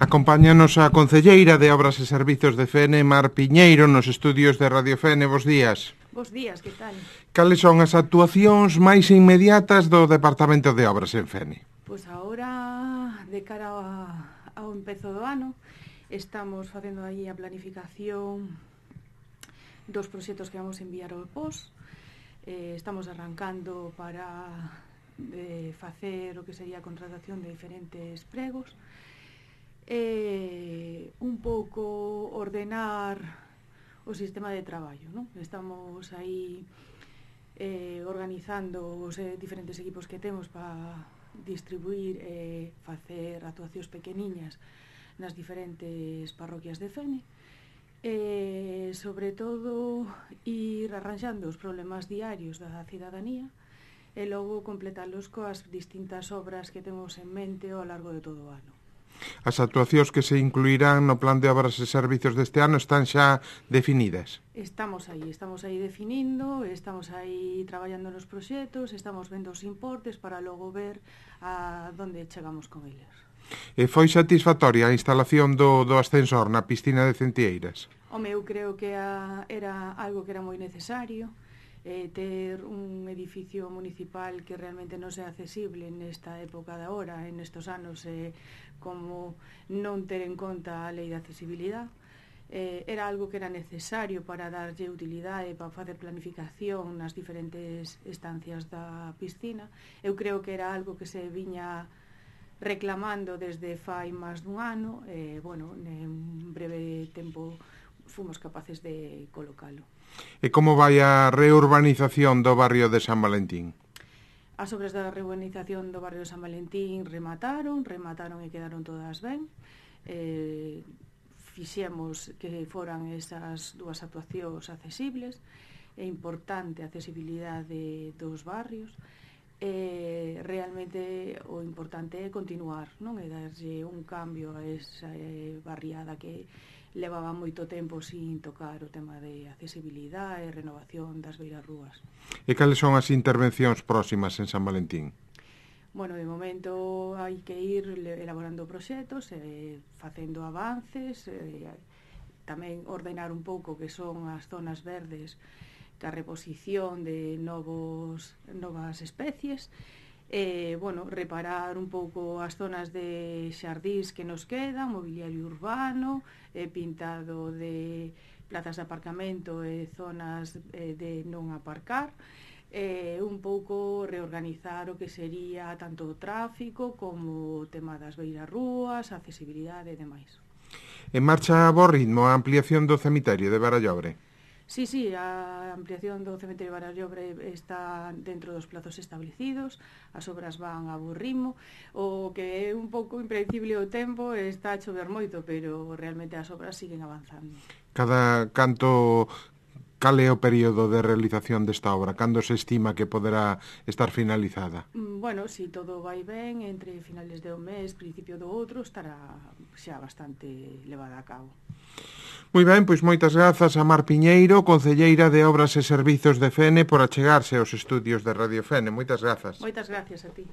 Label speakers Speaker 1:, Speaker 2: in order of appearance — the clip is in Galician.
Speaker 1: Acompáñanos a concelleira de Obras e Servizos de Fene, Mar Piñeiro, nos estudios de Radio Fene. Bos días.
Speaker 2: Bos días, que tal?
Speaker 1: Cales son as actuacións máis inmediatas do Departamento de Obras en Fene?
Speaker 2: Pois agora, de cara ao empezo do ano, estamos facendo aí a planificación dos proxectos que vamos enviar ao POS. Estamos arrancando para facer o que sería a contratación de diferentes pregos. Un pouco ordenar o sistema de traballo, non? Estamos aí organizando os diferentes equipos que temos para distribuir e facer actuacións pequeniñas nas diferentes parroquias de Fene. Sobre todo, ir arranxando os problemas diarios da cidadanía e logo completalos coas distintas obras que temos en mente ao largo de todo o ano.
Speaker 1: As actuacións que se incluirán no Plan de Obras e Servizos deste ano están xa definidas?
Speaker 2: Estamos aí definindo, estamos aí traballando nos proxectos, estamos vendo os importes para logo ver a donde chegamos con eles.
Speaker 1: E foi satisfactoria a instalación do ascensor na piscina de Centieiras?
Speaker 2: Eu creo que era algo que era moi necesario, ter un edificio municipal que realmente non sea accesible nesta época de agora, en estos anos, como non ter en conta a lei de accesibilidade. Era algo que era necesario para darlle utilidade, para facer planificación nas diferentes estancias da piscina. Eu creo que era algo que se viña reclamando desde fai máis dun ano, en breve tempo fomos capaces de colocalo.
Speaker 1: E como vai a reurbanización do barrio de San Valentín?
Speaker 2: As obras da reurbanización do barrio de San Valentín remataron e quedaron todas ben. Fixemos que foran esas dúas actuacións accesibles. É importante a accesibilidade dos barrios. Realmente o importante é continuar, non? É darlle un cambio a esa barriada que levaba moito tempo sin tocar o tema de accesibilidade e renovación das beirarrúas.
Speaker 1: E cales son as intervencións próximas en San Valentín?
Speaker 2: De momento hai que ir elaborando proxectos, facendo avances, tamén ordenar un pouco que son as zonas verdes, a reposición de novas especies, reparar un pouco as zonas de xardís que nos quedan, mobiliario urbano, pintado de plazas de aparcamento e zonas de non aparcar, un pouco reorganizar o que sería tanto o tráfico como o tema das beirarrúas, a accesibilidade e demais.
Speaker 1: En marcha a bo ritmo a ampliación do cemiterio de Barallobre?
Speaker 2: Sí, a ampliación do cemiterio de Barallobre está dentro dos plazos establecidos, as obras van a bo ritmo, o que é un pouco impredecible o tempo, está a chover moito, pero realmente as obras siguen avanzando.
Speaker 1: Cal é o período de realización desta obra? Cando se estima que poderá estar finalizada?
Speaker 2: Si todo vai ben, entre finales de un mes, principio do outro, estará xa bastante levada a cabo.
Speaker 1: Moi ben, pois moitas grazas a Mar Piñeiro, concelleira de Obras e Servizos de Fene, por achegarse aos estudios de Radio Fene. Moitas grazas.
Speaker 2: Moitas gracias a ti.